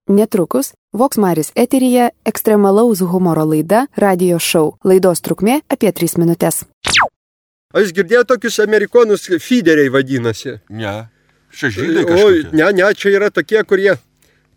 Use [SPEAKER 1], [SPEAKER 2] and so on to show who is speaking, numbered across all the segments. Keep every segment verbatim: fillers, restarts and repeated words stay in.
[SPEAKER 1] Netrukus Vox Maris eteryje ekstremalaus humoro laida Radio Show. Laidos trukmė apie tris minutės.
[SPEAKER 2] Aš girdėjau tokius amerikonus fideriai vadinasi.
[SPEAKER 3] Ne, čia žydai kažkokie.
[SPEAKER 2] O, ne, ne, čia yra tokie, kurie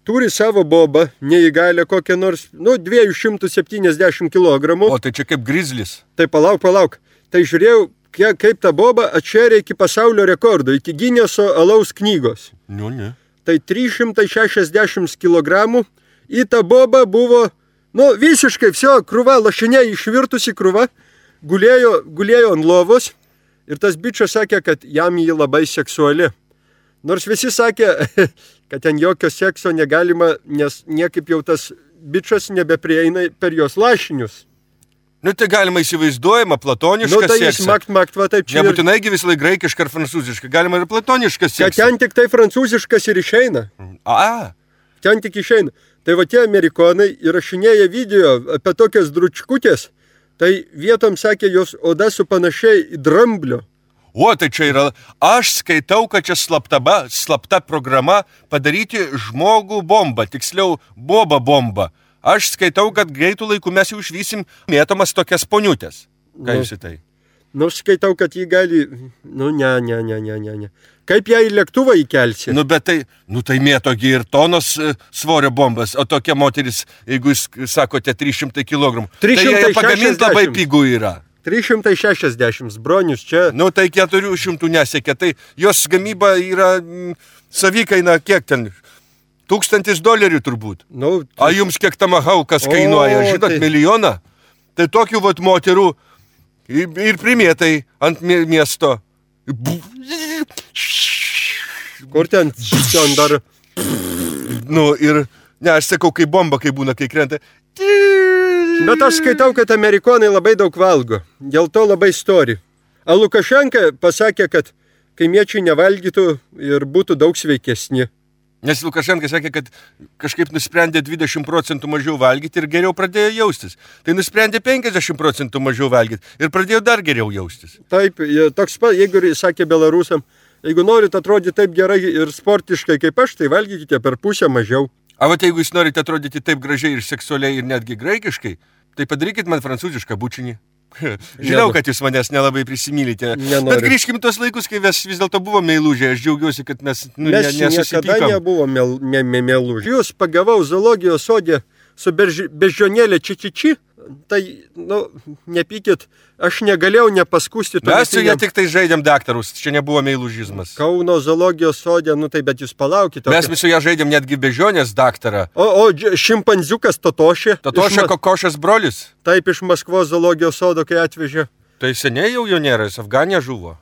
[SPEAKER 2] turi savo bobą, neįgalę kokią nors, nu, dviejų šimtų septyniasdešimt kilogramų.
[SPEAKER 3] O tai čia kaip grizlis.
[SPEAKER 2] Tai palauk, palauk. Tai žiūrėjau, kaip ta boba atšėrė iki pasaulio rekordo, iki Gineso alaus knygos.
[SPEAKER 3] Nu, ne.
[SPEAKER 2] Tai trys šimtai šešiasdešimt kilogramų. Į tą bobą buvo, nu, visiškai viso krūva, lašinė išvirtusi krūva, gulėjo, gulėjo ant lovos ir tas bičas sakė, kad jam jį labai seksuali. Nors visi sakė, kad ten jokio sekso negalima, nes niekaip jau tas bičas nebeprieina per jos lašinius.
[SPEAKER 3] Nu, tai galima įsivaizduojama platoniškas
[SPEAKER 2] nu, tai
[SPEAKER 3] seksas.
[SPEAKER 2] Makt, makt, va, taip čia.
[SPEAKER 3] Nebūtinai gi visą laiką graikišką ar prancūzišką, galima ir platoniškas seksas.
[SPEAKER 2] Kad ten tik tai prancūziškas ir išeina.
[SPEAKER 3] A.
[SPEAKER 2] Ten tik išeina. Tai va tie amerikonai įrašinėja video apie tokias dručkutės, tai vietom sakė, jos oda supanašiai į dramblio.
[SPEAKER 3] O, tai čia yra, aš skaitau, kad čia slaptaba, slapta programa padaryti žmogų bombą, tiksliau boba bombą. Aš skaitau, kad greitų laikų mes jau išvysim mėtomas tokias poniutės. Ką
[SPEAKER 2] nu,
[SPEAKER 3] jūs į tai?
[SPEAKER 2] Nu, skaitau, kad jį gali, nu, ne, ne, ne, ne, ne, ne. Kaip ją į lėktuvą įkelsi?
[SPEAKER 3] Nu, bet tai, nu, tai mėtogi ir tonos e, svorio bombas, o tokia moteris, jeigu jūs sakote trys šimtai kilogramų, tai jie pagaminti labai pigų yra.
[SPEAKER 2] trys šimtai šešiasdešimt, bronius čia.
[SPEAKER 3] Nu, tai keturių šimtų nesiekia, tai jos gamyba yra m, savikaina kiek ten? Tūkstantis dolerių turbūt.
[SPEAKER 2] Nu, tai...
[SPEAKER 3] A jums kiek tamahaukas kainuoja, žinot, tai... milijoną? Tai tokių vat moterų ir primėtai ant miesto.
[SPEAKER 2] Kur ten, ten dar?
[SPEAKER 3] Nu ir, ne, aš sakau, kai bomba, kai būna, kai krenta.
[SPEAKER 2] Bet aš skaitau, kad amerikonai labai daug valgo. Dėl to labai stori. A Lukašenka pasakė, kad kaimiečiai nevalgytų ir būtų daug sveikesni.
[SPEAKER 3] Nes Lukašenka sakė, kad kažkaip nusprendė dvidešimt procentų mažiau valgyti ir geriau pradėjo jaustis. Tai nusprendė penkiasdešimt procentų mažiau valgyti ir pradėjo dar geriau jaustis.
[SPEAKER 2] Taip, toks pat, jeigu sakė belarusam, jeigu norit atrodyti taip gerai ir sportiškai kaip aš, tai valgykite per pusę mažiau.
[SPEAKER 3] A vat jeigu jūs norite atrodyti taip gražiai ir seksualiai ir netgi graikiškai, tai padarykit man prancūzišką bučinį. Žinau, kad jūs manęs nelabai prisimylite.
[SPEAKER 2] Nenoriu.
[SPEAKER 3] Bet grįžkim tos laikus, kai mes vis dėlto buvome meilužiai. Aš džiaugiuosi, kad mes, nu,
[SPEAKER 2] mes
[SPEAKER 3] ne, nesusipykom.
[SPEAKER 2] Mes niekada nebuvome me, me, meilužiai. Jūs pagavau zoologijos sode su berži, beždžionėlė čičiči, tai, nu, nepykit, aš negalėjau nepaskusti.
[SPEAKER 3] Mes su jie tik tai žaidėm daktarus, čia nebuvo meilužizmas.
[SPEAKER 2] Kauno zoologijos sode, nu tai, bet jūs palaukite.
[SPEAKER 3] Mes su jie žaidėm netgi beždžionės daktarą.
[SPEAKER 2] O, o šimpanziukas Totošė.
[SPEAKER 3] Totošė Ma... Kokošas brolis.
[SPEAKER 2] Taip, iš Maskvos zoologijos sodo, kai atvežė.
[SPEAKER 3] Tai seniai jau jo nėra, jis Afganė žuvo.